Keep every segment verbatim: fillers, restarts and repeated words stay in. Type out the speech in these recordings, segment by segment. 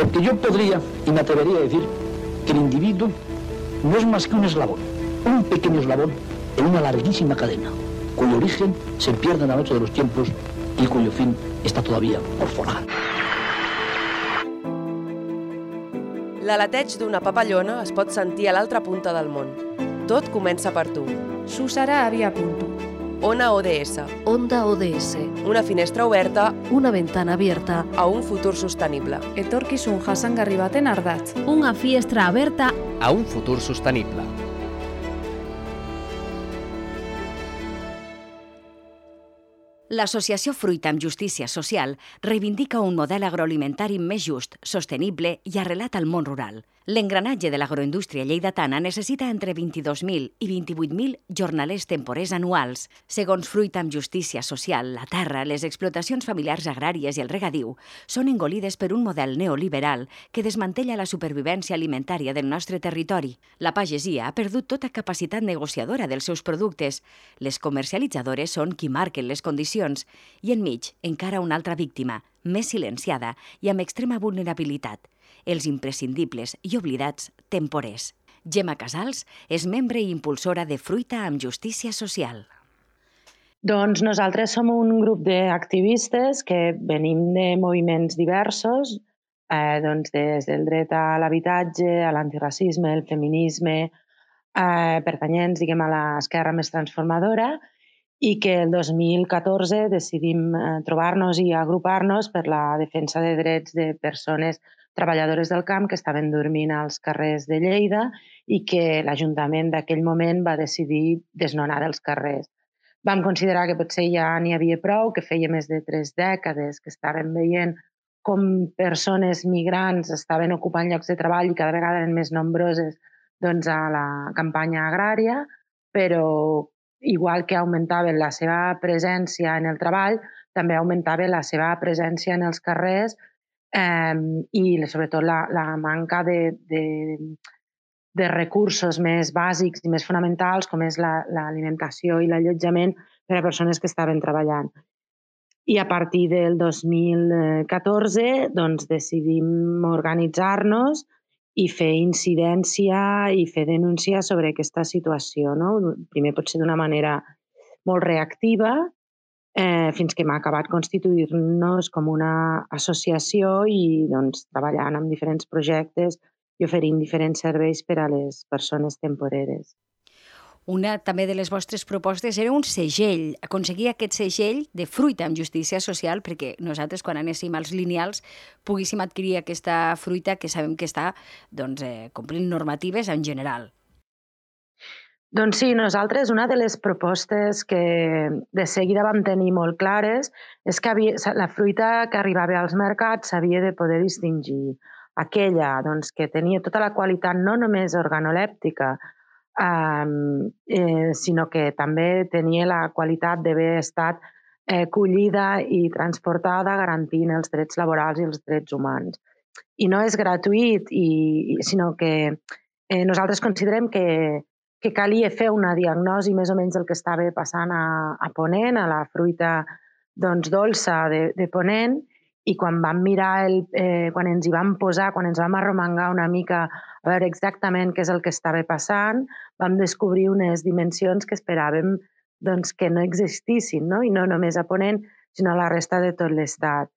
Porque yo podría y me atrevería a decir que el individuo no es más que un eslabón, un pequeño eslabón en una larguísima cadena, cuyo origen se pierde en la noche de los tiempos y cuyo fin está todavía por forjar. L'aleteig d'una papallona es pot sentir a l'altra punta del món. Tot comença per tu. Susara havia punto. Ona O D S. Onda O D S. Una finestra oberta Una ventana abierta a un futur sostenible. Etorkizun jasangarri baten ardatz. Una finestra aberta a un futur sostenible. L'associació Fruita amb Justícia Social reivindica un model agroalimentari més just, sostenible i arrelat al món rural. L'engranatge de l'agroindústria lleidatana necessita entre vint-i-dos mil i vint-i-vuit mil jornalers temporers anuals. Segons Fruita amb Justícia Social, la terra, les explotacions familiars agràries i el regadiu són engolides per un model neoliberal que desmantella la supervivència alimentària del nostre territori. La pagesia ha perdut tota capacitat negociadora dels seus productes. Les comercialitzadores són qui marquen les condicions i enmig encara una altra víctima, més silenciada i amb extrema vulnerabilitat, els imprescindibles i oblidats temporers. Gemma Casals és membre i impulsora de Fruita amb Justícia Social. Doncs nosaltres som un grup d'activistes que venim de moviments diversos, eh, doncs des del dret a l'habitatge, a l'antiracisme, el feminisme, eh, pertanyents, diguem, a l'esquerra més transformadora, i que el dos mil catorze decidim eh, trobar-nos i agrupar-nos per la defensa de drets de persones treballadores del camp que estaven dormint als carrers de Lleida i que l'Ajuntament d'aquell moment va decidir desnonar dels carrers. Vam considerar que potser ja n'hi havia prou, que feia més de tres dècades que estàvem veient com persones migrants estaven ocupant llocs de treball i cada vegada eren més nombroses doncs, a la campanya agrària, però igual que augmentava la seva presència en el treball, també augmentava la seva presència en els carrers eh, i sobretot la, la manca de, de, de recursos més bàsics i més fonamentals com és l'alimentació la, i l'allotjament per a persones que estaven treballant. I a partir del dos mil catorze doncs, decidim organitzar-nos i fer incidència i fer denúncia sobre aquesta situació. No? Primer potser d'una manera molt reactiva, eh, fins que hem acabat constituir-nos com una associació i doncs, treballant en diferents projectes i oferint diferents serveis per a les persones temporeres. Una també de les vostres propostes era un segell, aconseguir aquest segell de Fruita amb Justícia Social perquè nosaltres, quan anéssim als lineals, poguéssim adquirir aquesta fruita que sabem que està doncs, eh, complint normatives en general. Doncs sí, nosaltres una de les propostes que de seguida vam tenir molt clares és que havia, la fruita que arribava als mercats s'havia de poder distingir. Aquella doncs, que tenia tota la qualitat no només organolèptica, Um, eh, sinó que també tenia la qualitat d'haver estat eh, collida i transportada garantint els drets laborals i els drets humans. I no és gratuït, i, sinó que eh, nosaltres considerem que, que calia fer una diagnosi més o menys del que estava passant a, a Ponent, a la fruita doncs, dolça de, de Ponent, i quan vam mirar, el, eh, quan ens hi vam posar, quan ens vam arromangar una mica a veure exactament què és el que estava passant, vam descobrir unes dimensions que esperàvem doncs, que no existissin, no? I no només a Ponent, sinó a la resta de tot l'Estat.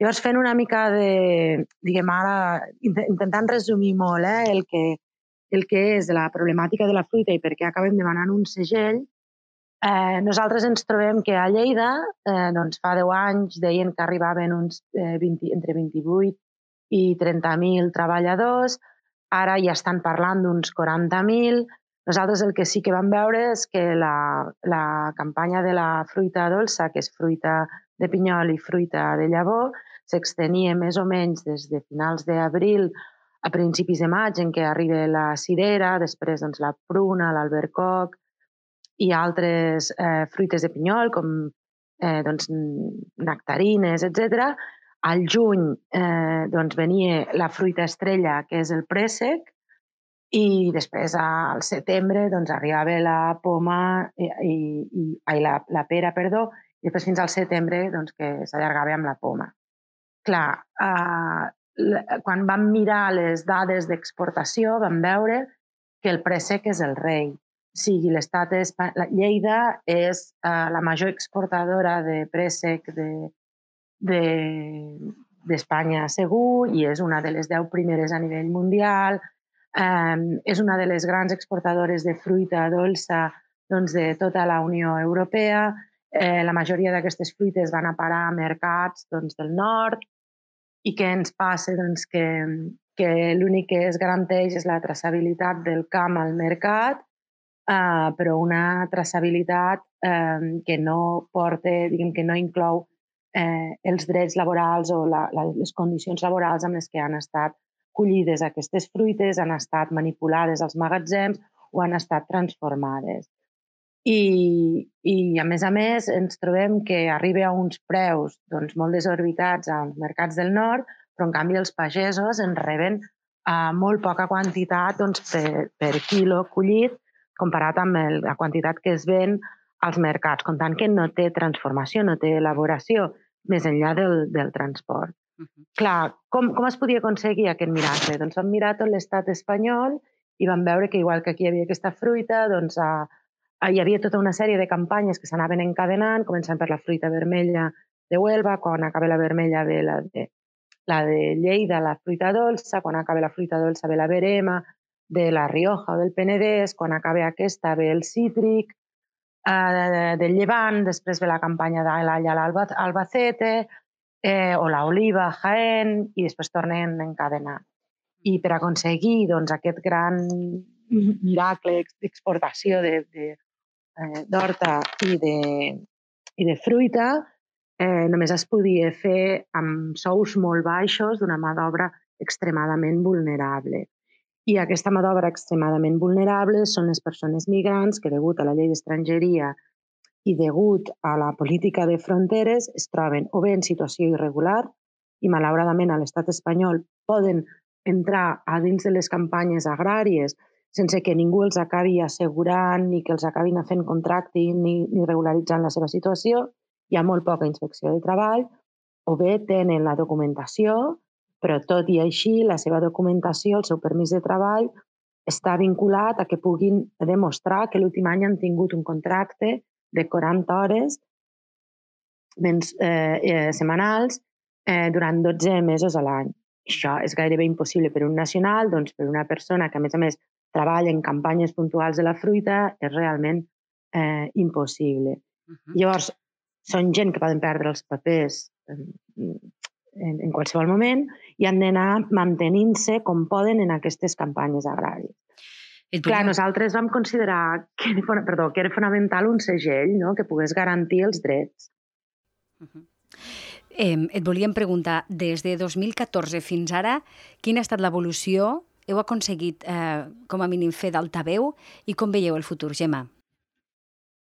Llavors, fent una mica de, diguem ara, intentant resumir molt eh, el, que, el que és la problemàtica de la fruita i per què acabem demanant un segell, Eh, nosaltres ens trobem que a Lleida, eh, doncs fa deu anys, deien que arribaven uns eh, vint, entre vint-i-vuit i trenta mil treballadors, ara ja estan parlant d'uns quaranta mil. Nosaltres el que sí que vam veure és que la, la campanya de la fruita dolça, que és fruita de pinyol i fruita de llavor, s'extenia més o menys des de finals d'abril a principis de maig, en què arriba la cirera, després doncs, la pruna, l'albercoc, i altres eh, fruites de pinyol, com eh, doncs, nectarines, etcètera. Al juny eh, doncs, venia la fruita estrella, que és el préssec, i després al setembre doncs, arribava la poma, i, i, i, ai, la, la pera, perdó, i després fins al setembre doncs, que s'allargava amb la poma. Clar, eh, quan vam mirar les dades d'exportació vam veure que el préssec és el rei. O sigui, l'estat espanyol, Lleida és la major exportadora de préssec d'Espanya segur i és una de les deu primeres a nivell mundial. És una de les grans exportadores de fruita dolça de tota la Unió Europea. La majoria d'aquestes fruites van a parar a mercats del nord. I què ens passa? Que l'únic que es garanteix és la traçabilitat del camp al mercat, però una traçabilitat que no porta, diguem que no inclou els drets laborals o les condicions laborals amb les que han estat collides aquestes fruites, han estat manipulades als magatzems o han estat transformades. I, a més a més, ens trobem que arriba a uns preus molt desorbitats als mercats del nord, però en canvi els pagesos en reben molt poca quantitat per quilo collit comparat amb la quantitat que es ven als mercats, comptant que no té transformació, no té elaboració, més enllà del transport. Clar, com es podia aconseguir aquest miracle? Doncs vam mirar tot l'estat espanyol i vam veure que igual que aquí hi havia aquesta fruita, doncs hi havia tota una sèrie de campanyes que s'anaven encadenant, començant per la fruita vermella de Huelva, quan acaba la vermella ve la de Lleida, la fruita dolça, quan acaba la fruita dolça ve la verema, de la Rioja o del Penedès, quan acaba aquesta ve el cítric, del Llevant, després ve la campanya de l'all a l'Albacete, o l'oliva a Jaén, i després tornen a encadenar. I per aconseguir aquest gran miracle d'exportació d'horta i de fruita, només es podia fer amb sous molt baixos d'una mà d'obra extremadament vulnerable. I aquesta mà d'obra extremadament vulnerable són les persones migrants que, degut a la llei d'estrangeria i degut a la política de fronteres, es troben o bé en situació irregular i, malauradament, a l'estat espanyol poden entrar a dins de les campanyes agràries sense que ningú els acabi assegurant ni que els acabin fent contracte ni regularitzant la seva situació. Hi ha molt poca inspecció de treball, o bé tenen la documentació, però tot i així la seva documentació, el seu permís de treball, està vinculat a que puguin demostrar que l'últim any han tingut un contracte de quaranta hores setmanals durant dotze mesos a l'any. Això és gairebé impossible per un nacional, doncs per una persona que, a més a més, treballa en campanyes puntuals de la fruita, és realment impossible. Llavors, són gent que poden perdre els papers en qualsevol moment i han d'anar mantenint-se com poden en aquestes campanyes agràries. Clar, nosaltres vam considerar que era fonamental un segell que pogués garantir els drets. Et volíem preguntar, des de dos mil catorze fins ara, quina ha estat l'evolució? Heu aconseguit, com a mínim, fer d'altaveu? I com veieu el futur, Gemma?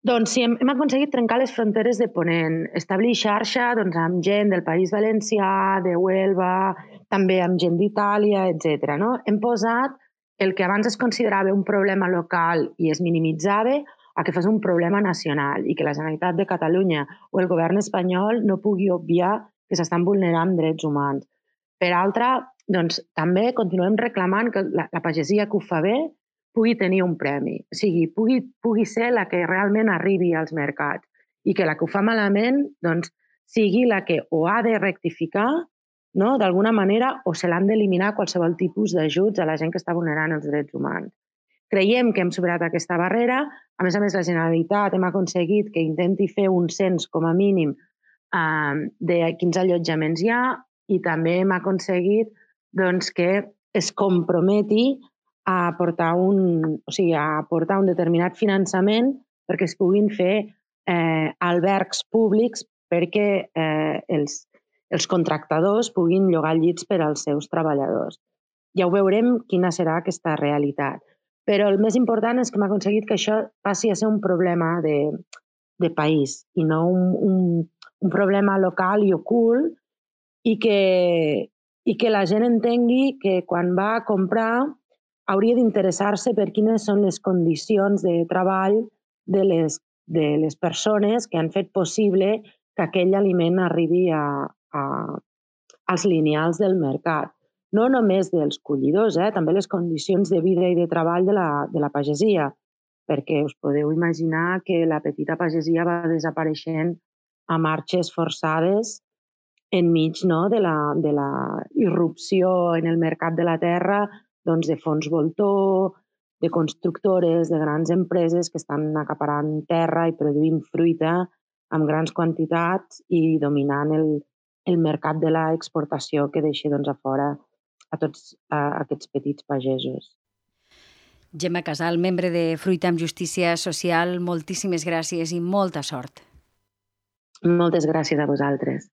Doncs sí, hem aconseguit trencar les fronteres de Ponent, establir xarxa amb gent del País Valencià, de Huelva, també amb gent d'Itàlia, etcètera. Hem posat el que abans es considerava un problema local i es minimitzava a que fos un problema nacional i que la Generalitat de Catalunya o el govern espanyol no pugui obviar que s'estan vulnerant drets humans. Per altra, doncs, també continuem reclamant que la pagesia que ho fa bé pugui tenir un premi, o sigui, pugui ser la que realment arribi als mercats i que la que ho fa malament sigui la que o ha de rectificar d'alguna manera o se l'han d'eliminar qualsevol tipus d'ajuts a la gent que està vulnerant els drets humans. Creiem que hem superat aquesta barrera. A més a més, la Generalitat hem aconseguit que intenti fer un cens com a mínim de quins allotjaments hi ha i també hem aconseguit que es comprometi a aportar un determinat finançament perquè es puguin fer albergs públics perquè els contractadors puguin llogar llits per als seus treballadors. Ja ho veurem quina serà aquesta realitat. Però el més important és que hem aconseguit que això passi a ser un problema de país i no un problema local i ocult i que la gent entengui que quan va a comprar hauria d'interessar-se per quines són les condicions de treball de les persones que han fet possible que aquell aliment arribi als lineals del mercat. no només dels collidors, eh, també les condicions de vida i de treball de la, de la pagesia, perquè us podeu imaginar que la petita pagesia va desapareixent a marxes forçades enmig, no, de, la, de la irrupció en el mercat de la terra, doncs, de fons voltor, de constructores, de grans empreses que estan acaparant terra i produint fruita amb grans quantitats i dominant el, el mercat de l'exportació que deixa, doncs, a fora a tots a aquests petits pagesos. Gemma Casal, membre de Fruita amb Justícia Social, moltíssimes gràcies i molta sort. Moltes gràcies a vosaltres.